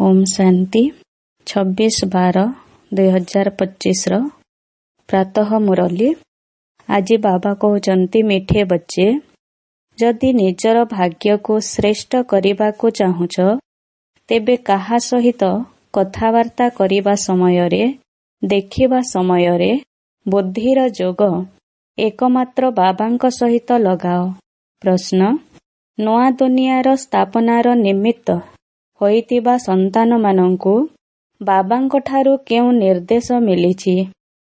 ଓମ୍ ଶାନ୍ତି। 26/12/2025ର ପ୍ରାତଃ ମୁରଲୀ। ଆଜି ବାବା କହୁଛନ୍ତି, ମିଠେ ବଚ୍ଚେ, ଯଦି ନିଜର ଭାଗ୍ୟକୁ ଶ୍ରେଷ୍ଠ କରିବାକୁ ଚାହୁଁଛ, ତେବେ କାହା ସହିତ କଥାବାର୍ତ୍ତା କରିବା ସମୟରେ, ଦେଖିବା ସମୟରେ ବୁଦ୍ଧିର ଯୋଗ ଏକମାତ୍ର ବାବାଙ୍କ ସହିତ ଲଗାଅ। ପ୍ରଶ୍ନ, ନୂଆ ଦୁନିଆର ସ୍ଥାପନାର ନିମିତ୍ତ ହୋଇଥିବା ସନ୍ତାନମାନଙ୍କୁ ବାବାଙ୍କଠାରୁ କେଉଁ ନିର୍ଦ୍ଦେଶ ମିଳିଛି?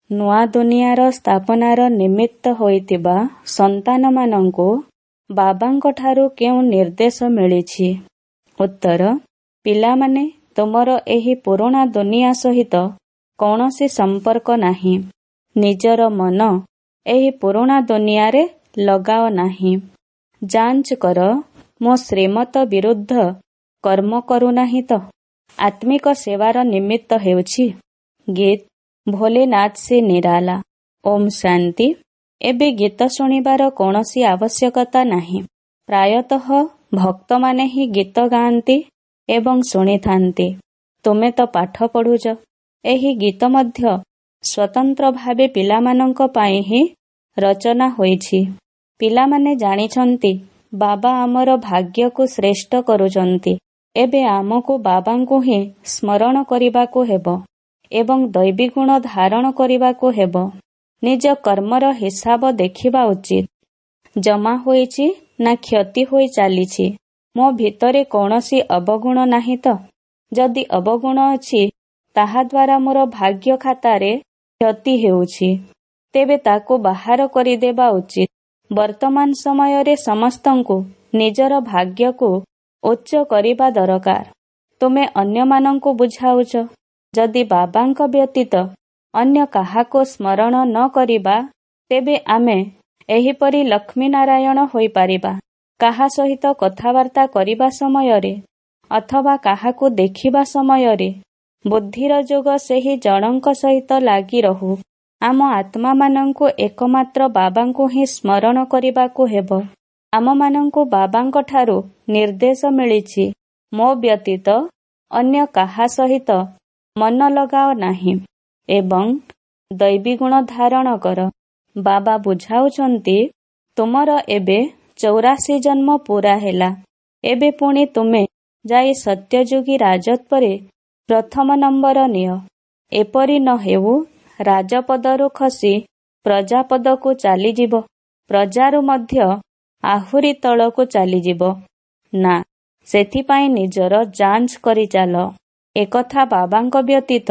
ନୂଆ ଦୁନିଆର ସ୍ଥାପନାର ନିମିତ୍ତ ହୋଇଥିବା ସନ୍ତାନମାନଙ୍କୁ ବାବାଙ୍କଠାରୁ କେଉଁ ନିର୍ଦ୍ଦେଶ ମିଳିଛି? ଉତ୍ତର, ପିଲାମାନେ, ତୁମର ଏହି ପୁରୁଣା ଦୁନିଆ ସହିତ କୌଣସି ସମ୍ପର୍କ ନାହିଁ। ନିଜର ମନ ଏହି ପୁରୁଣା ଦୁନିଆରେ ଲଗାଅ ନାହିଁ। ଯାଞ୍ଚ କର, ମୁଁ ଶ୍ରୀମତ ବିରୁଦ୍ଧ କର୍ମ କରୁନାହିଁ ତ? ଆତ୍ମିକ ସେବାର ନିମିତ୍ତ ହେଉଛି। ଗୀତ, ଭୋଲେନାଥ ସେ ନିରାଲା। ଓମ୍ ଶାନ୍ତି। ଏବେ ଗୀତ ଶୁଣିବାର କୌଣସି ଆବଶ୍ୟକତା ନାହିଁ। ପ୍ରାୟତଃ ଭକ୍ତମାନେ ହିଁ ଗୀତ ଗାଆନ୍ତି ଏବଂ ଶୁଣିଥାନ୍ତି। ତୁମେ ତ ପାଠ ପଢୁଛ। ଏହି ଗୀତ ମଧ୍ୟ ସ୍ୱତନ୍ତ୍ର ଭାବେ ପିଲାମାନଙ୍କ ପାଇଁ ହିଁ ରଚନା ହୋଇଛି। ପିଲାମାନେ ଜାଣିଛନ୍ତି, ବାବା ଆମର ଭାଗ୍ୟକୁ ଶ୍ରେଷ୍ଠ କରୁଛନ୍ତି। ଏବେ ଆମକୁ ବାବାଙ୍କୁ ହିଁ ସ୍ମରଣ କରିବାକୁ ହେବ ଏବଂ ଦୈବୀଗୁଣ ଧାରଣ କରିବାକୁ ହେବ। ନିଜ କର୍ମର ହିସାବ ଦେଖିବା ଉଚିତ। ଜମା ହୋଇଛି ନା କ୍ଷତି ହୋଇ ଚାଲିଛି? ମୋ ଭିତରେ କୌଣସି ଅବଗୁଣ ନାହିଁ ତ? ଯଦି ଅବଗୁଣ ଅଛି, ତାହାଦ୍ୱାରା ମୋର ଭାଗ୍ୟ ଖାତାରେ କ୍ଷତି ହେଉଛି, ତେବେ ତାକୁ ବାହାର କରିଦେବା ଉଚିତ। ବର୍ତ୍ତମାନ ସମୟରେ ସମସ୍ତଙ୍କୁ ନିଜର ଭାଗ୍ୟକୁ ଉଚ୍ଚ କରିବା ଦରକାର। ତୁମେ ଅନ୍ୟମାନଙ୍କୁ ବୁଝାଉଛ, ଯଦି ବାବାଙ୍କ ବ୍ୟତୀତ ଅନ୍ୟ କାହାକୁ ସ୍ମରଣ ନ କରିବା, ତେବେ ଆମେ ଏହିପରି ଲକ୍ଷ୍ମୀ ନାରାୟଣ ହୋଇପାରିବା। କାହା ସହିତ କଥାବାର୍ତ୍ତା କରିବା ସମୟରେ ଅଥବା କାହାକୁ ଦେଖିବା ସମୟରେ ବୁଦ୍ଧିର ଯୋଗ ସେହି ଜଣଙ୍କ ସହିତ ଲାଗି ରହୁ। ଆମ ଆତ୍ମାମାନଙ୍କୁ ଏକମାତ୍ର ବାବାଙ୍କୁ ହିଁ ସ୍ମରଣ କରିବାକୁ ହେବ। ଆମମାନଙ୍କୁ ବାବାଙ୍କ ଠାରୁ ନିର୍ଦ୍ଦେଶ ମିଳିଛି, ମୋ ବ୍ୟତୀତ ଅନ୍ୟ କାହା ସହିତ ମନ ଲଗାଅ ନାହିଁ ଏବଂ ଦୈବୀଗୁଣ ଧାରଣ କର। ବାବା ବୁଝାଉଛନ୍ତି, ତୁମର ଏବେ 84 ଜନ୍ମ ପୁରା ହେଲା। ଏବେ ପୁଣି ତୁମେ ଯାଇ ସତ୍ୟଯୁଗୀ ରାଜତ୍ୱରେ ପ୍ରଥମ ନମ୍ବର ନିଅ। ଏପରି ନ ହେଉ ରାଜପଦରୁ ଖସି ପ୍ରଜାପଦକୁ ଚାଲିଯିବ, ପ୍ରଜାରୁ ମଧ୍ୟ ଆହୁରି ତଳକୁ ଚାଲିଯିବ। ନା, ସେଥିପାଇଁ ନିଜର ଯାଞ୍ଚ କରି ଚାଲ। ଏକଥା ବାବାଙ୍କ ବ୍ୟତୀତ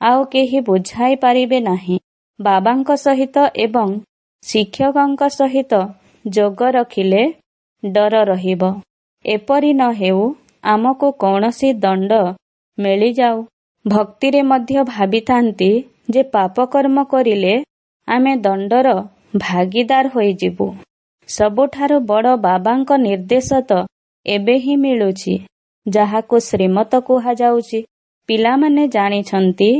ଆଉ କେହି ବୁଝାଇ ପାରିବେ ନାହିଁ। ବାବାଙ୍କ ସହିତ ଏବଂ ଶିକ୍ଷକଙ୍କ ସହିତ ଯୋଗ ରଖିଲେ ଡର ରହିବ। ଏପରି ନ ହେଉ ଆମକୁ କୌଣସି ଦଣ୍ଡ ମିଳିଯାଉ। ଭକ୍ତିରେ ମଧ୍ୟ ଭାବିଥାନ୍ତି ଯେ ପାପ କର୍ମ କରିଲେ ଆମେ ଦଣ୍ଡର ଭାଗୀଦାର ହୋଇଯିବୁ। ସବୁଠାରୁ ବଡ଼ ବାବାଙ୍କ ନିର୍ଦ୍ଦେଶ ତ ଏବେ ହିଁ ମିଳୁଛି, ଯାହାକୁ ଶ୍ରୀମତ କୁହାଯାଉଛି। ପିଲାମାନେ ଜାଣିଛନ୍ତି,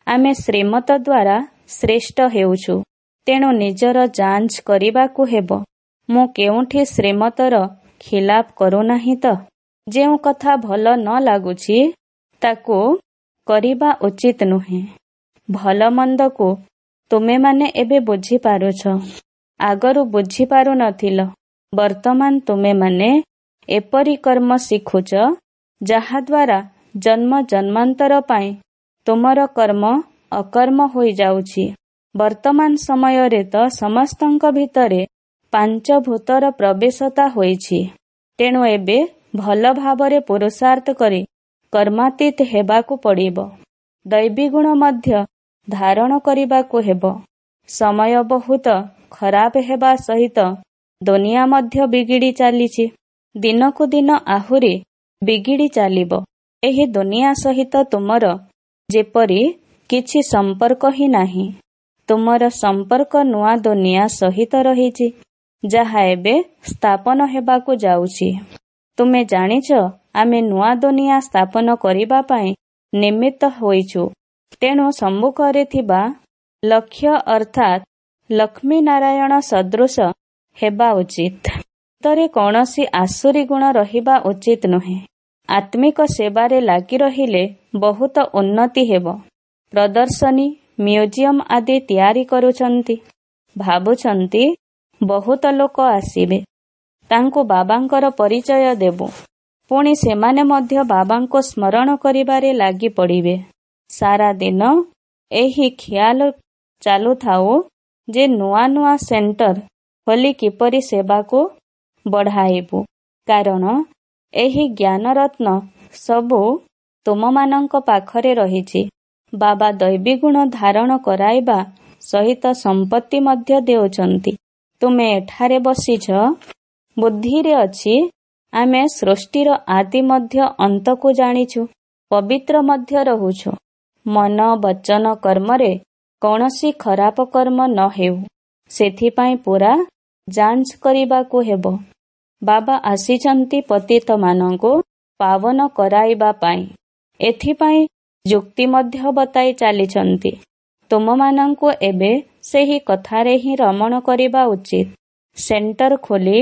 ଆମେ ଶ୍ରୀମତ ଦ୍ୱାରା ଶ୍ରେଷ୍ଠ ହେଉଛୁ। ତେଣୁ ନିଜର ଯାଞ୍ଚ କରିବାକୁ ହେବ, ମୁଁ କେଉଁଠି ଶ୍ରୀମତର ଖିଲାପ କରୁନାହିଁ ତ? ଯେଉଁ କଥା ଭଲ ନ ଲାଗୁଛି, ତାକୁ କରିବା ଉଚିତ ନୁହେଁ। ଭଲ ମନ୍ଦକୁ ତୁମେମାନେ ଏବେ ବୁଝିପାରୁଛ। ଆଗରୁ ବୁଝିପାରୁନଥିଲ। ବର୍ତ୍ତମାନ ତୁମେମାନେ ଏପରି କର୍ମ ଶିଖୁଛ, ଯାହାଦ୍ୱାରା ଜନ୍ମ ଜନ୍ମାନ୍ତର ପାଇଁ ତୁମର କର୍ମ ଅକର୍ମ ହୋଇଯାଉଛି। ବର୍ତ୍ତମାନ ସମୟରେ ତ ସମସ୍ତଙ୍କ ଭିତରେ ପାଞ୍ଚ ଭୂତର ପ୍ରବେଶତା ହୋଇଛି। ତେଣୁ ଏବେ ଭଲ ଭାବରେ ପୁରୁଷାର୍ଥ କରି କର୍ମାତୀତ ହେବାକୁ ପଡ଼ିବ। ଦୈବୀଗୁଣ ମଧ୍ୟ ଧାରଣ କରିବାକୁ ହେବ। ସମୟ ବହୁତ ଖରାପ ହେବା ସହିତ ଦୁନିଆ ମଧ୍ୟ ବିଗିଡ଼ି ଚାଲିଛି। ଦିନକୁ ଦିନ ଆହୁରି ବିଗିଡ଼ି ଚାଲିବ। ଏହି ଦୁନିଆ ସହିତ ତୁମର ଯେପରି କିଛି ସମ୍ପର୍କ ହିଁ ନାହିଁ। ତୁମର ସମ୍ପର୍କ ନୂଆ ଦୁନିଆ ସହିତ ରହିଛି, ଯାହା ଏବେ ସ୍ଥାପନ ହେବାକୁ ଯାଉଛି। ତୁମେ ଜାଣିଛ, ଆମେ ନୂଆ ଦୁନିଆ ସ୍ଥାପନ କରିବା ପାଇଁ ନିମିତ୍ତ ହୋଇଛୁ। ତେଣୁ ସମ୍ମୁଖରେ ଥିବା ଲକ୍ଷ୍ୟ ଅର୍ଥାତ୍ ଲକ୍ଷ୍ମୀ ନାରାୟଣ ସଦୃଶ ହେବା ଉଚିତ। ଭିତରେ କୌଣସି ଆସୁରୀ ଗୁଣ ରହିବା ଉଚିତ ନୁହେଁ। ଆତ୍ମିକ ସେବାରେ ଲାଗି ରହିଲେ ବହୁତ ଉନ୍ନତି ହେବ। ପ୍ରଦର୍ଶନୀ, ମ୍ୟୁଜିୟମ ଆଦି ତିଆରି କରୁଛନ୍ତି। ଭାବୁଛନ୍ତି ବହୁତ ଲୋକ ଆସିବେ, ତାଙ୍କୁ ବାବାଙ୍କର ପରିଚୟ ଦେବୁ। ପୁଣି ସେମାନେ ମଧ୍ୟ ବାବାଙ୍କୁ ସ୍ମରଣ କରିବାରେ ଲାଗି ପଡ଼ିବେ। ସାରା ଦିନ ଏହି ଖିଆଲ ଚାଲୁଥାଉ ଯେ ନୂଆ ନୂଆ ସେଣ୍ଟର ଖୋଲି କିପରି ସେବାକୁ ବଢ଼ାଇବୁ। କାରଣ ଏହି ଜ୍ଞାନରତ୍ନ ସବୁ ତୁମମାନଙ୍କ ପାଖରେ ରହିଛି। ବାବା ଦୈବୀଗୁଣ ଧାରଣ କରାଇବା ସହିତ ସମ୍ପତ୍ତି ମଧ୍ୟ ଦେଉଛନ୍ତି। ତୁମେ ଏଠାରେ ବସିଛ, ବୁଦ୍ଧିରେ ଅଛି ଆମେ ସୃଷ୍ଟିର ଆଦି ମଧ୍ୟ ଅନ୍ତକୁ ଜାଣିଛୁ, ପବିତ୍ର ମଧ୍ୟ ରହୁଛୁ। ମନ, ବଚନ, କର୍ମରେ କୌଣସି ଖରାପ କର୍ମ ନ ହେଉ, ସେଥିପାଇଁ ପୁରା ଯାଞ୍ଚ କରିବାକୁ ହେବ। ବାବା ଆସିଛନ୍ତି ପତିତମାନଙ୍କୁ ପାବନ କରାଇବା ପାଇଁ। ଏଥିପାଇଁ ଯୁକ୍ତି ମଧ୍ୟ ବତାଇ ଚାଲିଛନ୍ତି। ତୁମମାନଙ୍କୁ ଏବେ ସେହି କଥାରେ ହିଁ ରମଣ କରିବା ଉଚିତ। ସେଣ୍ଟର ଖୋଲି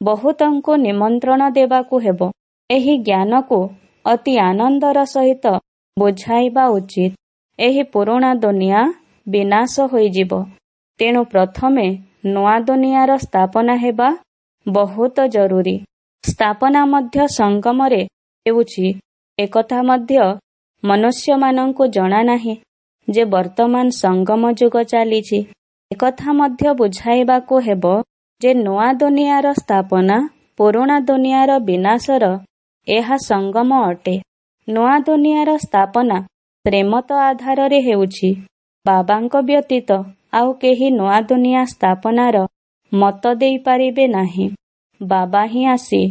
ବହୁତଙ୍କୁ ନିମନ୍ତ୍ରଣ ଦେବାକୁ ହେବ। ଏହି ଜ୍ଞାନକୁ ଅତି ଆନନ୍ଦର ସହିତ ବୁଝାଇବା ଉଚିତ। ଏହି ପୁରୁଣା ଦୁନିଆ ବିନାଶ ହୋଇଯିବ। ତେଣୁ ପ୍ରଥମେ ନୂଆ ଦୁନିଆର ସ୍ଥାପନା ହେବା ବହୁତ ଜରୁରୀ। ସ୍ଥାପନା ମଧ୍ୟ ସଙ୍ଗମରେ ହେଉଛି। ଏକଥା ମଧ୍ୟ ମନୁଷ୍ୟମାନଙ୍କୁ ଜଣା ନାହିଁ ଯେ ବର୍ତ୍ତମାନ ସଙ୍ଗମ ଯୁଗ ଚାଲିଛି। ଏକଥା ମଧ୍ୟ ବୁଝାଇବାକୁ ହେବ ଯେ ନୂଆ ଦୁନିଆର ସ୍ଥାପନା, ପୁରୁଣା ଦୁନିଆର ବିନାଶର ଏହା ସଙ୍ଗମ ଅଟେ। ନୂଆ ଦୁନିଆର ସ୍ଥାପନା ଶ୍ରୀମତ ଆଧାରରେ ହେଉଛି। ବାବାଙ୍କ ବ୍ୟତୀତ ଆଉ କେହି ନୂଆ ଦୁନିଆ ସ୍ଥାପନାର ମତ ଦେଇପାରିବେ ନାହିଁ। ବାବା ହିଁ ଆସି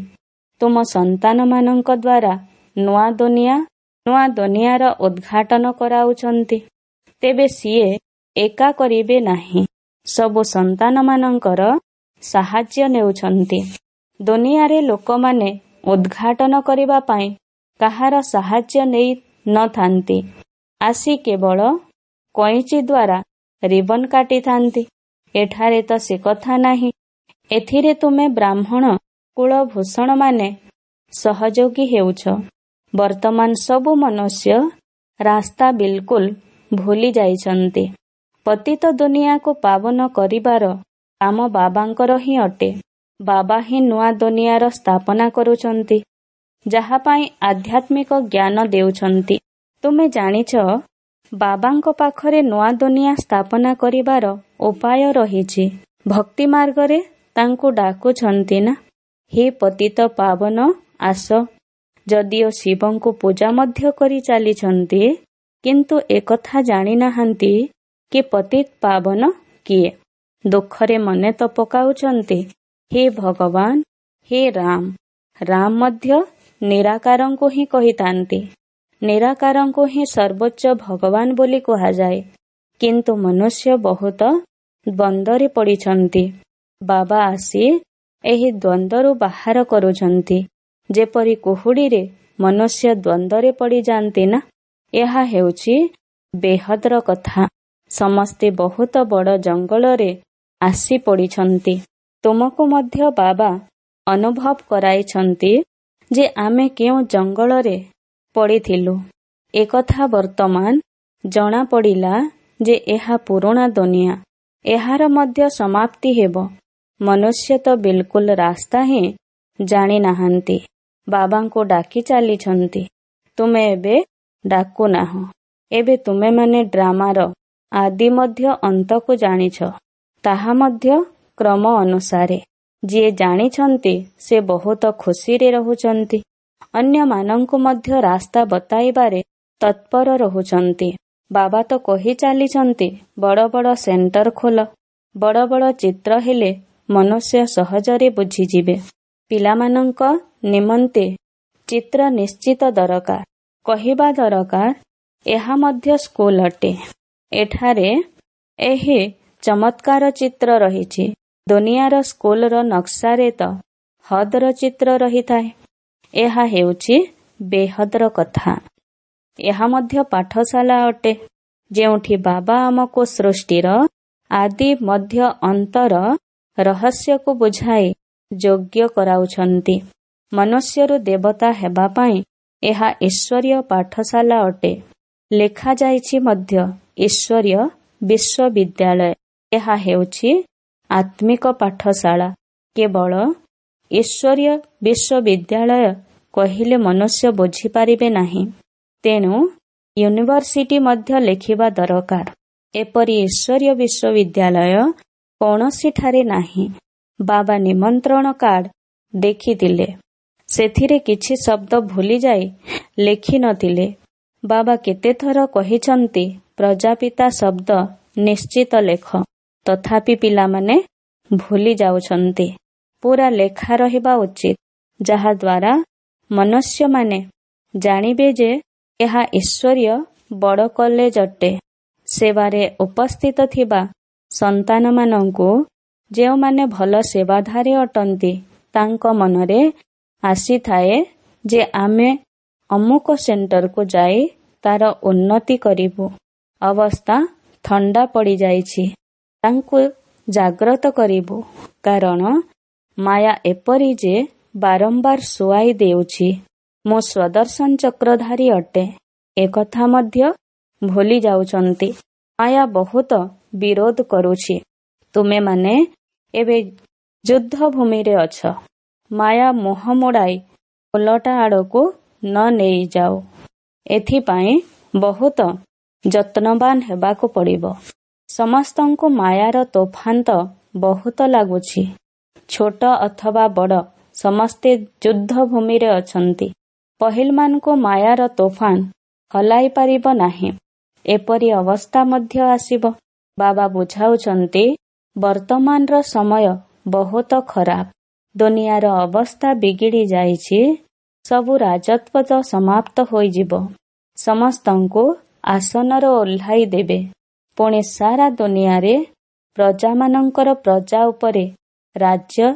ତୁମ ସନ୍ତାନମାନଙ୍କ ଦ୍ୱାରା ନୂଆ ଦୁନିଆ, ନୂଆ ଦୁନିଆର ଉଦ୍ଘାଟନ କରାଉଛନ୍ତି। ତେବେ ସିଏ ଏକା କରିବେ ନାହିଁ, ସବୁ ସନ୍ତାନମାନଙ୍କର ସାହାଯ୍ୟ ନେଉଛନ୍ତି। ଦୁନିଆରେ ଲୋକମାନେ ଉଦ୍ଘାଟନ କରିବା ପାଇଁ କାହାର ସାହାଯ୍ୟ ନେଇ ନଥାନ୍ତି। ଆସି କେବଳ କଇଁଚି ଦ୍ୱାରା ରିବନ କାଟିଥାନ୍ତି। ଏଠାରେ ତ ସେ କଥା ନାହିଁ। ଏଥିରେ ତୁମେ ବ୍ରାହ୍ମଣ କୁଳଭୂଷଣମାନେ ସହଯୋଗୀ ହେଉଛ। ବର୍ତ୍ତମାନ ସବୁ ମନୁଷ୍ୟ ରାସ୍ତା ବିଲକୁଲ ଭୁଲି ଯାଇଛନ୍ତି। ପତିତ ଦୁନିଆକୁ ପାବନ କରିବାର କାମ ବାବାଙ୍କର ହିଁ ଅଟେ। ବାବା ହିଁ ନୂଆ ଦୁନିଆର ସ୍ଥାପନା କରୁଛନ୍ତି, ଯାହା ପାଇଁ ଆଧ୍ୟାତ୍ମିକ ଜ୍ଞାନ ଦେଉଛନ୍ତି। ତୁମେ ଜାଣିଛ ବାବାଙ୍କ ପାଖରେ ନୂଆ ଦୁନିଆ ସ୍ଥାପନା କରିବାର ଉପାୟ ରହିଛି। ଭକ୍ତି ମାର୍ଗରେ ତାଙ୍କୁ ଡାକୁଛନ୍ତି ନା, ହେ ପତିତ ପାବନ ଆସ। ଯଦିଓ ଶିବଙ୍କୁ ପୂଜା ମଧ୍ୟ କରି ଚାଲିଛନ୍ତି, କିନ୍ତୁ ଏକଥା ଜାଣିନାହାନ୍ତି କି ପତିତ ପାବନ କିଏ। ଦୁଃଖରେ ମନେ ତ ପକାଉଛନ୍ତି, ହେ ଭଗବାନ, ହେ ରାମ। ରାମ ମଧ୍ୟ ନିରାକାରଙ୍କୁ ହିଁ କହିଥାନ୍ତି। ନିରାକାରଙ୍କୁ ହିଁ ସର୍ବୋଚ୍ଚ ଭଗବାନ ବୋଲି କୁହାଯାଏ। କିନ୍ତୁ ମନୁଷ୍ୟ ବହୁତ ଦ୍ୱନ୍ଦ୍ୱରେ ପଡ଼ିଛନ୍ତି। ବାବା ଆସି ଏହି ଦ୍ୱନ୍ଦ୍ୱରୁ ବାହାର କରୁଛନ୍ତି। ଯେପରି କୁହୁଡ଼ିରେ ମନୁଷ୍ୟ ଦ୍ୱନ୍ଦ୍ୱରେ ପଡ଼ିଯାଆନ୍ତି ନା, ଏହା ହେଉଛି ବେହଦର କଥା। ସମସ୍ତେ ବହୁତ ବଡ଼ ଜଙ୍ଗଲରେ ଆସି ପଡ଼ିଛନ୍ତି। ତୁମକୁ ମଧ୍ୟ ବାବା ଅନୁଭବ କରାଇଛନ୍ତି ଯେ ଆମେ କେଉଁ ଜଙ୍ଗଲରେ ପଡ଼ିଥିଲୁ। ଏକଥା ବର୍ତ୍ତମାନ ଜଣାପଡ଼ିଲା ଯେ ଏହା ପୁରୁଣା ଦୁନିଆ, ଏହାର ମଧ୍ୟ ସମାପ୍ତି ହେବ। ମନୁଷ୍ୟ ତ ବିଲକୁଲ ରାସ୍ତା ହିଁ ଜାଣିନାହାନ୍ତି। ବାବାଙ୍କୁ ଡାକି ଚାଲିଛନ୍ତି, ତୁମେ ଏବେ ଡାକୁନାହଁ। ଏବେ ତୁମେମାନେ ଡ୍ରାମାର ଆଦି ମଧ୍ୟ ଅନ୍ତକୁ ଜାଣିଛ, ତାହା ମଧ୍ୟ କ୍ରମ ଅନୁସାରେ। ଯିଏ ଜାଣିଛନ୍ତି ସେ ବହୁତ ଖୁସିରେ ରହୁଛନ୍ତି। ଅନ୍ୟମାନଙ୍କୁ ମଧ୍ୟ ରାସ୍ତା ବତାଇବାରେ ତତ୍ପର ରହୁଛନ୍ତି। ବାବା ତ କହି ଚାଲିଛନ୍ତି ବଡ଼ ବଡ଼ ସେଣ୍ଟର ଖୋଲ। ବଡ଼ ବଡ଼ ଚିତ୍ର ହେଲେ ମନୁଷ୍ୟ ସହଜରେ ବୁଝିଯିବେ। ପିଲାମାନଙ୍କ ନିମନ୍ତେ ଚିତ୍ର ନିଶ୍ଚିତ ଦରକାର। କହିବା ଦରକାର ଏହା ମଧ୍ୟ ସ୍କୁଲ ଅଟେ। ଏଠାରେ ଏହି ଚମତ୍କାର ଚିତ୍ର ରହିଛି। ଦୁନିଆର ସ୍କୁଲର ନକ୍ସାରେ ତ ହଦର ଚିତ୍ର ରହିଥାଏ। ଏହା ହେଉଛି ବେହଦର କଥା। ଏହା ମଧ୍ୟ ପାଠଶାଳା ଅଟେ, ଯେଉଁଠି ବାବା ଆମକୁ ସୃଷ୍ଟିର ଆଦି ମଧ୍ୟ ଅନ୍ତର ରହସ୍ୟକୁ ବୁଝାଇ ଯୋଗ୍ୟ କରାଉଛନ୍ତି। ମନୁଷ୍ୟରୁ ଦେବତା ହେବା ପାଇଁ ଏହା ଈଶ୍ୱରୀୟ ପାଠଶାଳା ଅଟେ। ଲେଖାଯାଇଛି ମଧ୍ୟ ଈଶ୍ୱରୀୟ ବିଶ୍ୱବିଦ୍ୟାଳୟ। ଏହା ହେଉଛି ଆତ୍ମିକ ପାଠଶାଳା। କେବଳ ଈଶ୍ୱରୀୟ ବିଶ୍ୱବିଦ୍ୟାଳୟ କହିଲେ ମନୁଷ୍ୟ ବୁଝିପାରିବେ ନାହିଁ। ତେଣୁ ୟୁନିଭର୍ସିଟି ମଧ୍ୟ ଲେଖିବା ଦରକାର। ଏପରି ଈଶ୍ୱରୀୟ ବିଶ୍ୱବିଦ୍ୟାଳୟ କୌଣସିଠାରେ ନାହିଁ। ବାବା ନିମନ୍ତ୍ରଣ କାର୍ଡ ଦେଖିଥିଲେ, ସେଥିରେ କିଛି ଶବ୍ଦ ଭୁଲିଯାଇ ଲେଖିନଥିଲେ। ବାବା କେତେଥର କହିଛନ୍ତି ପ୍ରଜାପିତା ଶବ୍ଦ ନିଶ୍ଚିତ ଲେଖ, ତଥାପି ପିଲାମାନେ ଭୁଲି ଯାଉଛନ୍ତି। ପୁରା ଲେଖା ରହିବା ଉଚିତ, ଯାହାଦ୍ୱାରା ମନୁଷ୍ୟମାନେ ଜାଣିବେ ଯେ ଏହା ଈଶ୍ୱରୀୟ ବଡ଼ କଲେଜ ଅଟେ। ସେବାରେ ଉପସ୍ଥିତ ଥିବା ସନ୍ତାନମାନଙ୍କୁ, ଯେଉଁମାନେ ଭଲ ସେବାଧାରୀ ଅଟନ୍ତି, ତାଙ୍କ ମନରେ ଆସିଥାଏ ଯେ ଆମେ ଅମୁକ ସେଣ୍ଟରକୁ ଯାଇ ତାର ଉନ୍ନତି କରିବୁ। ଅବସ୍ଥା ଥଣ୍ଡା ପଡ଼ିଯାଇଛି, ତାଙ୍କୁ ଜାଗ୍ରତ କରିବୁ। କାରଣ ମାୟା ଏପରି ଯେ ବାରମ୍ବାର ଶୁଆଇ ଦେଉଛି। ମୁଁ ସ୍ୱଦର୍ଶନ ଚକ୍ରଧାରୀ ଅଟେ, ଏକଥା ମଧ୍ୟ ଭୁଲି ଯାଉଛନ୍ତି। ମାୟା ବହୁତ ବିରୋଧ କରୁଛି। ତୁମେମାନେ ଏବେ ଯୁଦ୍ଧ ଭୂମିରେ ଅଛ। ମାୟା ମୁହଁ ମୋଡ଼ାଇ ଓଲଟା ଆଡ଼କୁ ନ ନେଇଯାଉ, ଏଥିପାଇଁ ବହୁତ ଯତ୍ନବାନ ହେବାକୁ ପଡ଼ିବ। ସମସ୍ତଙ୍କୁ ମାୟାର ତୋଫାନ ତ ବହୁତ ଲାଗୁଛି। ଛୋଟ ଅଥବା ବଡ଼ ସମସ୍ତେ ଯୁଦ୍ଧ ଭୂମିରେ ଅଛନ୍ତି। ପହିଲମାନଙ୍କୁ ମାୟାର ତୋଫାନ ହଲାଇ ପାରିବ ନାହିଁ, ଏପରି ଅବସ୍ଥା ମଧ୍ୟ ଆସିବ। ବାବା ବୁଝାଉଛନ୍ତି ବର୍ତ୍ତମାନର ସମୟ ବହୁତ ଖରାପ। ଦୁନିଆର ଅବସ୍ଥା ବିଗିଡ଼ି ଯାଇଛି। ସବୁ ରାଜତ୍ୱ ତ ସମାପ୍ତ ହୋଇଯିବ। ସମସ୍ତଙ୍କୁ ଆସନର ଓହ୍ଲାଇ ଦେବେ। ପୁଣି ସାରା ଦୁନିଆରେ ପ୍ରଜାମାନଙ୍କର ପ୍ରଜା ଉପରେ ରାଜ୍ୟ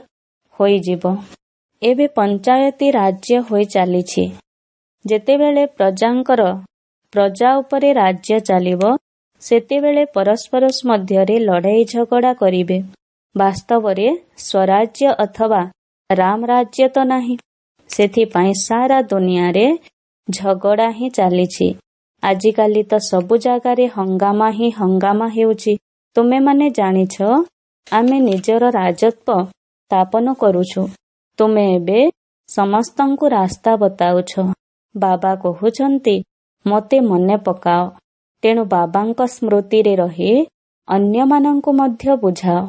ହୋଇଯିବ। ଏବେ ପଞ୍ଚାୟତି ରାଜ୍ୟ ହୋଇ ଚାଲିଛି। ଯେତେବେଳେ ପ୍ରଜାଙ୍କର ପ୍ରଜା ଉପରେ ରାଜ୍ୟ ଚାଲିବ, ସେତେବେଳେ ପରସ୍ପର ମଧ୍ୟରେ ଲଢ଼େଇ ଝଗଡ଼ା କରିବେ। ବାସ୍ତବରେ ସ୍ୱରାଜ୍ୟ ଅଥବା ରାମ ରାଜ୍ୟ ତ ନାହିଁ, ସେଥିପାଇଁ ସାରା ଦୁନିଆରେ ଝଗଡ଼ା ହିଁ ଚାଲିଛି। ଆଜିକାଲି ତ ସବୁ ଜାଗାରେ ହଙ୍ଗାମା ହିଁ ହଙ୍ଗାମା ହେଉଛି। ତୁମେମାନେ ଜାଣିଛ ଆମେ ନିଜର ରାଜତ୍ୱ ସ୍ଥାପନ କରୁଛୁ। ତୁମେ ଏବେ ସମସ୍ତଙ୍କୁ ରାସ୍ତା ବତାଉଛ। ବାବା କହୁଛନ୍ତି ମୋତେ ମନେ ପକାଅ। ତେଣୁ ବାବାଙ୍କ ସ୍ମୃତିରେ ରହି ଅନ୍ୟମାନଙ୍କୁ ମଧ୍ୟ ବୁଝାଅ।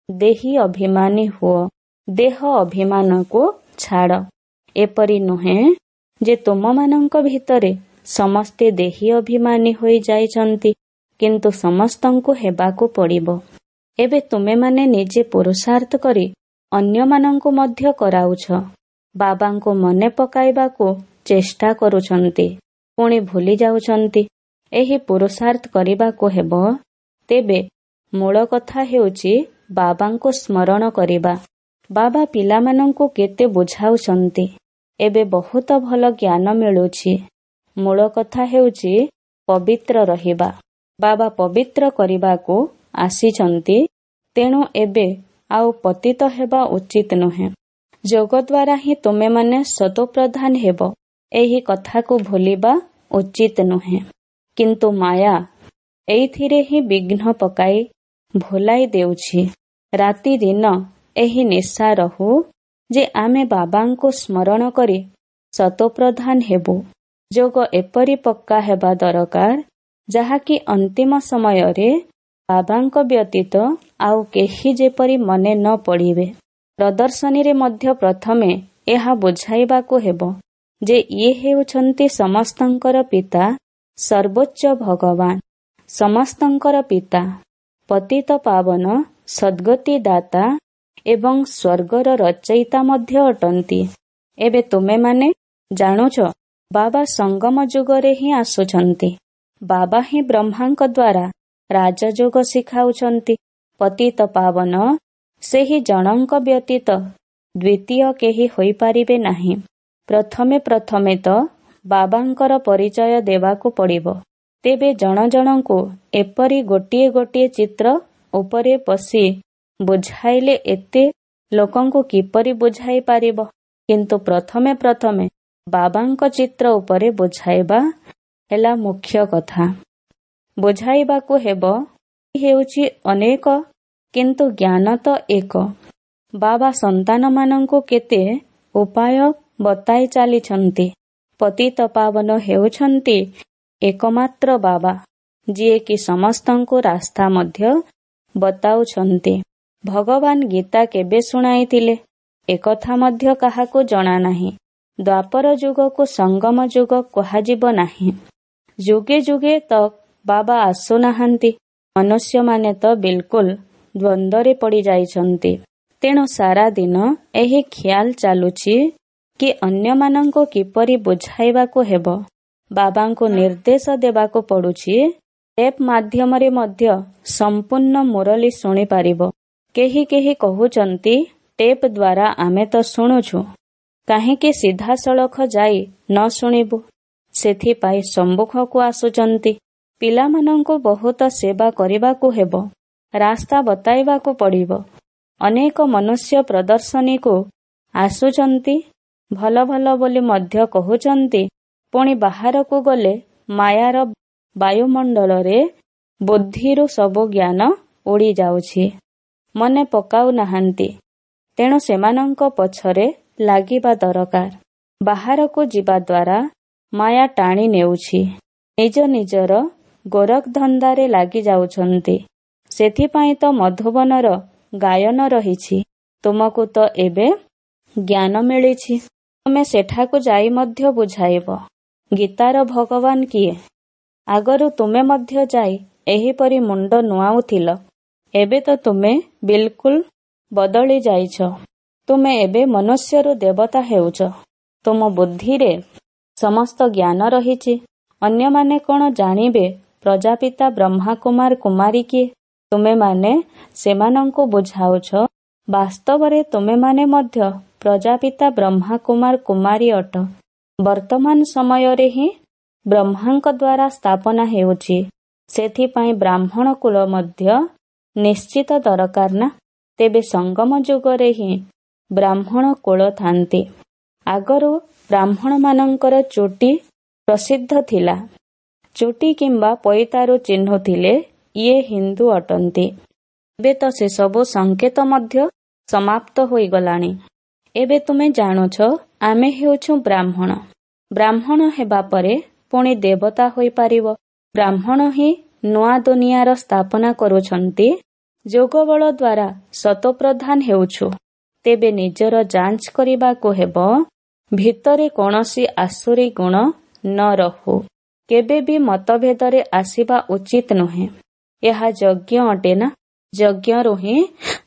ଦେହି ଅଭିମାନୀ ହୁଅ, ଦେହ ଅଭିମାନକୁ ଛାଡ଼। ଏପରି ନୁହେଁ ଯେ ତୁମମାନଙ୍କ ଭିତରେ ସମସ୍ତେ ଦେହି ଅଭିମାନୀ ହୋଇ ଯାଇଛନ୍ତି, କିନ୍ତୁ ସମସ୍ତଙ୍କୁ ହେବାକୁ ପଡ଼ିବ। ଏବେ ତୁମେମାନେ ନିଜେ ପୁରୁଷାର୍ଥ କରି ଅନ୍ୟମାନଙ୍କୁ ମଧ୍ୟ କରାଉଛ। ବାବାଙ୍କୁ ମନେ ପକାଇବାକୁ ଚେଷ୍ଟା କରୁଛନ୍ତି, ପୁଣି ଭୁଲି ଯାଉଛନ୍ତି। ଏହି ପୁରୁଷାର୍ଥ କରିବାକୁ ହେବ। ତେବେ ମୂଳ କଥା ହେଉଛି ବାବାଙ୍କୁ ସ୍ମରଣ କରିବା। ବାବା ପିଲାମାନଙ୍କୁ କେତେ ବୁଝାଉଛନ୍ତି। ଏବେ ବହୁତ ଭଲ ଜ୍ଞାନ ମିଳୁଛି। ମୂଳ କଥା ହେଉଛି ପବିତ୍ର ରହିବା। ବାବା ପବିତ୍ର କରିବାକୁ ଆସିଛନ୍ତି, ତେଣୁ ଏବେ ଆଉ ପତିତ ହେବା ଉଚିତ ନୁହେଁ। ଯୋଗ ଦ୍ୱାରା ହିଁ ତୁମେମାନେ ସତୋପ୍ରଧାନ ହେବ, ଏହି କଥାକୁ ଭୁଲିବା ଉଚିତ ନୁହେଁ। କିନ୍ତୁ ମାୟା ଏଇଥିରେ ହିଁ ବିଘ୍ନ ପକାଇ ଭୁଲାଇ ଦେଉଛି। ରାତି ଦିନ ଏହି ନିଶା ରହୁ ଯେ ଆମେ ବାବାଙ୍କୁ ସ୍ମରଣ କରି ସତୋପ୍ରଧାନ ହେବୁ। ଯୋଗ ଏପରି ପକ୍କା ହେବା ଦରକାର ଯାହାକି ଅନ୍ତିମ ସମୟରେ ବାବାଙ୍କ ବ୍ୟତୀତ ଆଉ କେହି ଯେପରି ମନେ ନ ପଡ଼ିବେ। ପ୍ରଦର୍ଶନୀରେ ମଧ୍ୟ ପ୍ରଥମେ ଏହା ବୁଝାଇବାକୁ ହେବ ଯେ ଇଏ ହେଉଛନ୍ତି ସମସ୍ତଙ୍କର ପିତା, ସର୍ବୋଚ୍ଚ ଭଗବାନ, ସମସ୍ତଙ୍କର ପିତା, ପତିତ ପାବନ, ସଦ୍ଗତି ଦାତା ଏବଂ ସ୍ୱର୍ଗର ରଚୟିତା ମଧ୍ୟ ଅଟନ୍ତି। ଏବେ ତୁମେମାନେ ଜାଣୁଛ ବାବା ସଙ୍ଗମ ଯୁଗରେ ହିଁ ଆସୁଛନ୍ତି। ବାବା ହିଁ ବ୍ରହ୍ମାଙ୍କ ଦ୍ୱାରା ରାଜଯୋଗ ଶିଖାଉଛନ୍ତି। ପତିତ ପାବନ ସେହି ଜଣଙ୍କ ବ୍ୟତୀତ ଦ୍ୱିତୀୟ କେହି ହୋଇପାରିବେ ନାହିଁ। ପ୍ରଥମେ ପ୍ରଥମେ ତ ବାବାଙ୍କର ପରିଚୟ ଦେବାକୁ ପଡ଼ିବ। ତେବେ ଜଣ ଜଣଙ୍କୁ ଏପରି ଗୋଟିଏ ଗୋଟିଏ ଚିତ୍ର ଉପରେ ବସି ବୁଝାଇଲେ ଏତେ ଲୋକଙ୍କୁ କିପରି ବୁଝାଇ ପାରିବ? କିନ୍ତୁ ପ୍ରଥମେ ପ୍ରଥମେ ବାବାଙ୍କ ଚିତ୍ର ଉପରେ ବୁଝାଇବା ହେଲା ମୁଖ୍ୟ କଥା। ବୁଝାଇବାକୁ ହେବ, ହେଉଛି ଅନେକ କିନ୍ତୁ ଜ୍ଞାନ ତ ଏକ। ବାବା ସନ୍ତାନମାନଙ୍କୁ କେତେ ଉପାୟ ବତାଇ ଚାଲିଛନ୍ତି। ପତିତ ପାବନ ହେଉଛନ୍ତି ଏକମାତ୍ର ବାବା, ଯିଏକି ସମସ୍ତଙ୍କୁ ରାସ୍ତା ମଧ୍ୟ ବତାଉଛନ୍ତି। ଭଗବାନ ଗୀତା କେବେ ଶୁଣାଇଥିଲେ, ଏକଥା ମଧ୍ୟ କାହାକୁ ଜଣା ନାହିଁ। ଦ୍ୱାପର ଯୁଗକୁ ସଙ୍ଗମ ଯୁଗ କୁହାଯିବ ନାହିଁ। ଯୁଗେ ଯୁଗେ ତ ବାବା ଆସୁନାହାନ୍ତି। ମନୁଷ୍ୟମାନେ ତ ବିଲକୁଲ ଦ୍ୱନ୍ଦ୍ୱରେ ପଡ଼ିଯାଇଛନ୍ତି। ତେଣୁ ସାରା ଦିନ ଏହି ଖିଆଲ ଚାଲୁଛି କି ଅନ୍ୟମାନଙ୍କୁ କିପରି ବୁଝାଇବାକୁ ହେବ। ବାବାଙ୍କୁ ନିର୍ଦ୍ଦେଶ ଦେବାକୁ ପଡୁଛି, ଟେପ୍ ମାଧ୍ୟମରେ ମଧ୍ୟ ସମ୍ପୂର୍ଣ୍ଣ ମୁରଲୀ ଶୁଣିପାରିବ। କେହି କେହି କହୁଛନ୍ତି, ଟେପ୍ ଦ୍ୱାରା ଆମେ ତ ଶୁଣୁଛୁ, କାହିଁକି ସିଧାସଳଖ ଯାଇ ନ ଶୁଣିବୁ? ସେଥିପାଇଁ ସମ୍ମୁଖକୁ ଆସୁଛନ୍ତି। ପିଲାମାନଙ୍କୁ ବହୁତ ସେବା କରିବାକୁ ହେବ, ରାସ୍ତା ବତାଇବାକୁ ପଡ଼ିବ। ଅନେକ ମନୁଷ୍ୟ ପ୍ରଦର୍ଶନୀକୁ ଆସୁଛନ୍ତି, ଭଲ ଭଲ ବୋଲି ମଧ୍ୟ କହୁଛନ୍ତି। ପୁଣି ବାହାରକୁ ଗଲେ ମାୟାର ବାୟୁମଣ୍ଡଳରେ ବୁଦ୍ଧିରୁ ସବୁ ଜ୍ଞାନ ଉଡ଼ିଯାଉଛି, ମନେ ପକାଉନାହାନ୍ତି। ତେଣୁ ସେମାନଙ୍କ ପଛରେ ଲାଗିବା ଦରକାର। ବାହାରକୁ ଯିବା ଦ୍ୱାରା ମାୟା ଟାଣି ନେଉଛି। ନିଜ ନିଜର ଗୋରଖ ଧନ୍ଦାରେ ଲାଗି ଯାଉଛନ୍ତି। ସେଥିପାଇଁ ତ ମଧୁବନର ଗାୟନ ରହିଛି। ତୁମକୁ ତ ଏବେ ଜ୍ଞାନ ମିଳିଛି, ତୁମେ ସେଠାକୁ ଯାଇ ମଧ୍ୟ ବୁଝାଇବ। ଗୀତାର ଭଗବାନ କିଏ? ଆଗରୁ ତୁମେ ମଧ୍ୟ ଯାଇ ଏହିପରି ମୁଣ୍ଡ ନୁଆଉଥିଲ। ଏବେ ତ ତୁମେ ବିଲକୁଲ ବଦଳି ଯାଇଛ। ତୁମେ ଏବେ ମନୁଷ୍ୟରୁ ଦେବତା ହେଉଛ। ତୁମ ବୁଦ୍ଧିରେ ସମସ୍ତ ଜ୍ଞାନ ରହିଛି। ଅନ୍ୟମାନେ କ'ଣ ଜାଣିବେ ପ୍ରଜାପିତା ବ୍ରହ୍ମାକୁମାର କୁମାରୀ କିଏ? ତୁମେମାନେ ସେମାନଙ୍କୁ ବୁଝାଉଛ। ବାସ୍ତବରେ ତୁମେମାନେ ମଧ୍ୟ ପ୍ରଜାପିତା ବ୍ରହ୍ମାକୁମାର କୁମାରୀ ଅଟ। ବର୍ତ୍ତମାନ ସମୟରେ ହିଁ ବ୍ରହ୍ମାଙ୍କ ଦ୍ୱାରା ସ୍ଥାପନା ହେଉଛି। ସେଥିପାଇଁ ବ୍ରାହ୍ମଣ କୁଳ ମଧ୍ୟ ନିଶ୍ଚିତ ଦରକାର ନା। ତେବେ ସଙ୍ଗମ ଯୁଗରେ ହିଁ ବ୍ରାହ୍ମଣ କୁଳ ଥାନ୍ତି। ଆଗରୁ ବ୍ରାହ୍ମଣମାନଙ୍କର ଚୁଟି ପ୍ରସିଦ୍ଧ ଥିଲା। ଚୁଟି କିମ୍ବା ପଇତାରୁ ଚିହ୍ନୁଥିଲେ ଇଏ ହିନ୍ଦୁ ଅଟନ୍ତି। ଏବେ ତ ସେସବୁ ସଂକେତ ମଧ୍ୟ ସମାପ୍ତ ହୋଇଗଲାଣି। ଏବେ ତୁମେ ଜାଣୁଛ ଆମେ ହେଉଛୁ ବ୍ରାହ୍ମଣ। ବ୍ରାହ୍ମଣ ହେବା ପରେ ପୁଣି ଦେବତା ହୋଇପାରିବ। ବ୍ରାହ୍ମଣ ହିଁ ନୂଆ ଦୁନିଆର ସ୍ଥାପନା କରୁଛନ୍ତି। ଯୋଗବଳ ଦ୍ୱାରା ସତୋପ୍ରଧାନ ହେଉଛୁ। ତେବେ ନିଜର ଯାଞ୍ଚ କରିବାକୁ ହେବ, ଭିତରେ କୌଣସି ଆସୁରୀ ଗୁଣ ନ ରହୁ। କେବେ ବି ମତଭେଦରେ ଆସିବା ଉଚିତ ନୁହେଁ। ଏହା ଯଜ୍ଞ ଅଟେ ନା। ଯଜ୍ଞରୁ ହିଁ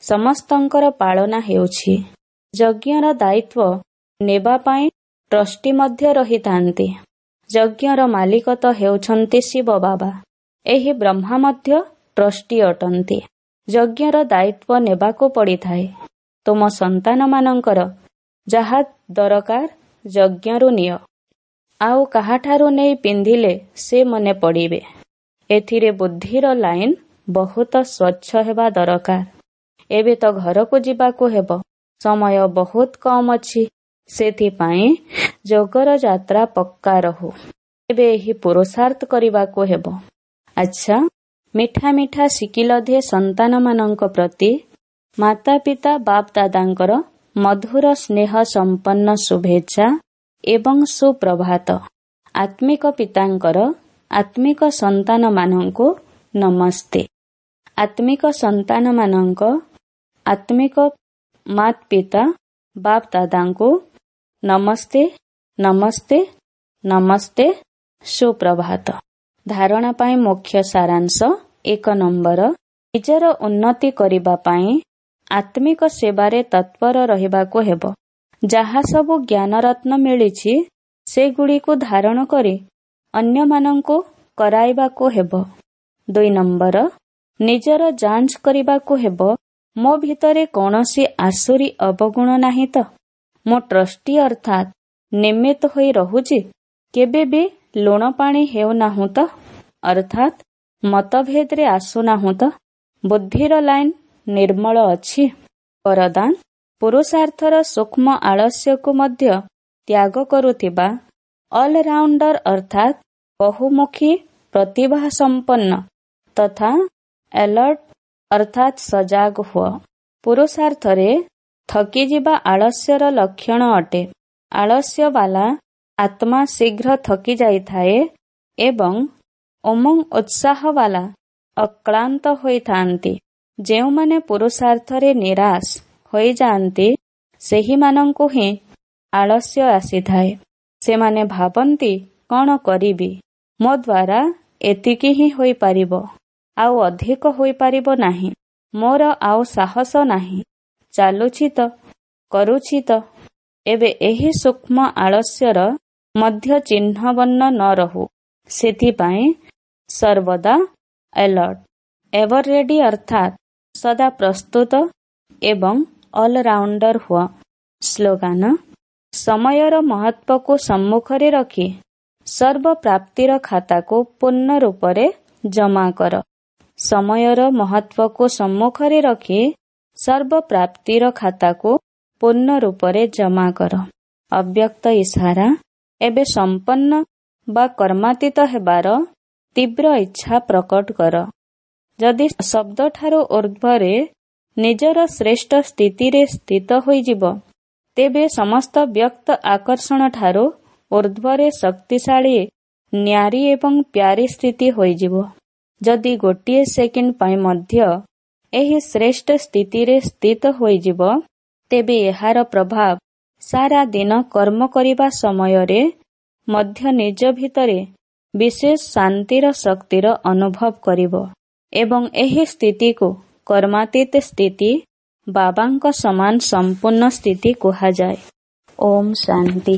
ସମସ୍ତଙ୍କର ପାଳନା ହେଉଛି। ଯଜ୍ଞର ଦାୟିତ୍ୱ ନେବା ପାଇଁ ଟ୍ରଷ୍ଟି ମଧ୍ୟ ରହିଥାନ୍ତି। ଯଜ୍ଞର ମାଲିକ ତ ହେଉଛନ୍ତି ଶିବ ବାବା। ଏହି ବ୍ରହ୍ମା ମଧ୍ୟ ଟ୍ରଷ୍ଟି ଅଟନ୍ତି। ଯଜ୍ଞର ଦାୟିତ୍ୱ ନେବାକୁ ପଡ଼ିଥାଏ। ତୁମ ସନ୍ତାନମାନଙ୍କର ଯାହା ଦରକାର ଯଜ୍ଞରୁ ନିଅ। ଆଉ କାହାଠାରୁ ନେଇ ପିନ୍ଧିଲେ ସେ ମନେ ପଡ଼ିବେ। ଏଥିରେ ବୁଦ୍ଧିର ଲାଇନ ବହୁତ ସ୍ୱଚ୍ଛ ହେବା ଦରକାର। ଏବେ ତ ଘରକୁ ଯିବାକୁ ହେବ। ସମୟ ବହୁତ କମ୍ ଅଛି। ସେଥିପାଇଁ ଯୋଗର ଯାତ୍ରା ପକ୍କା ରହୁ। ଏବେ ଏହି ପୁରୁଷାର୍ଥ କରିବାକୁ ହେବ। ଆଚ୍ଛା, ମିଠା ମିଠା ସିକିଲଧେ ସନ୍ତାନମାନଙ୍କ ପ୍ରତି ମାତା ପିତା ବାପ ଦାଦାଙ୍କର ମଧୁର ସ୍ନେହ ସମ୍ପନ୍ନ ଶୁଭେଚ୍ଛା ଏବଂ ସୁପ୍ରଭାତ। ଆତ୍ମିକ ପିତାଙ୍କର ଆତ୍ମିକ ସନ୍ତାନମାନଙ୍କୁ ନମସ୍ତେ। ଆତ୍ମିକ ସନ୍ତାନମାନଙ୍କ ଆତ୍ମିକ ମାତ ପିତା ବାପ ଦାଦାଙ୍କୁ ନମସ୍ତେ, ନମସ୍ତେ, ନମସ୍ତେ, ସୁପ୍ରଭାତ। ଧାରଣା ପାଇଁ ମୁଖ୍ୟ ସାରାଂଶ। 1 ନମ୍ବର, ନିଜର ଉନ୍ନତି କରିବା ପାଇଁ ଆତ୍ମିକ ସେବାରେ ତତ୍ପର ରହିବାକୁ ହେବ। ଯାହା ସବୁ ଜ୍ଞାନରତ୍ନ ମିଳିଛି ସେଗୁଡ଼ିକୁ ଧାରଣ କରି ଅନ୍ୟମାନଙ୍କୁ କରାଇବାକୁ ହେବ। 2 ନମ୍ବର, ନିଜର ଯାଞ୍ଚ କରିବାକୁ ହେବ, ମୋ ଭିତରେ କୌଣସି ଆସୁରୀ ଅବଗୁଣ ନାହିଁ ତ? ମୁଁ ଟ୍ରଷ୍ଟି ଅର୍ଥାତ୍ ନିମିତ୍ତ ହୋଇ ରହୁଛି? କେବେ ବି ଲୁଣ ପାଣି ହେଉନାହୁଁ ତ? ଅର୍ଥାତ୍ ମତଭେଦରେ ଆସୁନାହୁଁ ତ? ବୁଦ୍ଧିର ଲାଇନ ନିର୍ମଳ ଅଛି? ବରଦାନ, ପୁରୁଷାର୍ଥର ସୂକ୍ଷ୍ମ ଆଳସ୍ୟକୁ ମଧ୍ୟ ତ୍ୟାଗ କରୁଥିବା ଅଲରାଉଣ୍ଡର ଅର୍ଥାତ୍ ବହୁମୁଖୀ ପ୍ରତିଭା ସମ୍ପନ୍ନ ତଥା ଆଲର୍ଟ ଅର୍ଥାତ୍ ସଜାଗ ହୁଅ। ପୁରୁଷାର୍ଥରେ ଥକିଯିବା ଆଳସ୍ୟର ଲକ୍ଷଣ ଅଟେ। ଆଳସ୍ୟବାଲା ଆତ୍ମା ଶୀଘ୍ର ଥକି ଯାଇଥାଏ ଏବଂ ଉମଙ୍ଗ ଉତ୍ସାହବାଲା ଅକ୍ଳାନ୍ତ ହୋଇଥାନ୍ତି। ଯେଉଁମାନେ ପୁରୁଷାର୍ଥରେ ନିରାଶ ହୋଇଯାଆନ୍ତି, ସେହିମାନଙ୍କୁ ହିଁ ଆଳସ୍ୟ ଆସିଥାଏ। ସେମାନେ ଭାବନ୍ତି, କ'ଣ କରିବି, ମୋ ଦ୍ୱାରା ଏତିକି ହିଁ ହୋଇପାରିବ, ଆଉ ଅଧିକ ହୋଇପାରିବ ନାହିଁ, ମୋର ଆଉ ସାହସ ନାହିଁ, ଚାଲୁଛି ତ, କରୁଛି ତ। ଏବେ ଏହି ସୂକ୍ଷ୍ମ ଆଳସ୍ୟର ମଧ୍ୟ ଚିହ୍ନବର୍ଣ୍ଣ ନ ରହୁ, ସେଥିପାଇଁ ସର୍ବଦା ଆଲର୍ଟ, ଏଭର ରେଡି ଅର୍ଥାତ୍ ସଦା ପ୍ରସ୍ତୁତ ଏବଂ ଅଲରାଉଣ୍ଡର ହୁଅ। ସ୍ଲୋଗାନ: ସମୟର ମହତ୍ତ୍ୱକୁ ସମ୍ମୁଖରେ ରଖି ସର୍ବପ୍ରାପ୍ତିର ଖାତାକୁ ପୂର୍ଣ୍ଣ ରୂପରେ ଜମା କର। ସମୟର ମହତ୍ତ୍ୱକୁ ସମ୍ମୁଖରେ ରଖି ସର୍ବପ୍ରାପ୍ତିର ଖାତାକୁ ପୂର୍ଣ୍ଣ ରୂପରେ ଜମା କର। ଅବ୍ୟକ୍ତ ଇସାରା: ଏବେ ସମ୍ପନ୍ନ ବା କର୍ମାତୀତ ହେବାର ତୀବ୍ର ଇଚ୍ଛା ପ୍ରକଟ କର। ଯଦି ଶବ୍ଦଠାରୁ ଊର୍ଦ୍ଧ୍ୱରେ ନିଜର ଶ୍ରେଷ୍ଠ ସ୍ଥିତିରେ ସ୍ଥିତ ହୋଇଯିବ, ତେବେ ସମସ୍ତ ବ୍ୟକ୍ତ ଆକର୍ଷଣଠାରୁ ଊର୍ଦ୍ଧ୍ୱରେ ଶକ୍ତିଶାଳୀ ନ୍ୟାରୀ ଏବଂ ପ୍ୟାରୀ ସ୍ଥିତି ହୋଇଯିବ। ଯଦି ଗୋଟିଏ ସେକେଣ୍ଡ ପାଇଁ ମଧ୍ୟ ଏହି ଶ୍ରେଷ୍ଠ ସ୍ଥିତିରେ ସ୍ଥିତ ହୋଇଯିବ, ତେବେ ଏହାର ପ୍ରଭାବ ସାରା ଦିନ କର୍ମ କରିବା ସମୟରେ ମଧ୍ୟ ନିଜ ଭିତରେ ବିଶେଷ ଶାନ୍ତିର ଶକ୍ତିର ଅନୁଭବ କରିବ ଏବଂ ଏହି ସ୍ଥିତିକୁ କର୍ମାତୀତ ସ୍ଥିତି, ବାବାଙ୍କ ସମାନ ସମ୍ପୂର୍ଣ୍ଣ ସ୍ଥିତି କୁହାଯାଏ। ଓମ୍ ଶାନ୍ତି।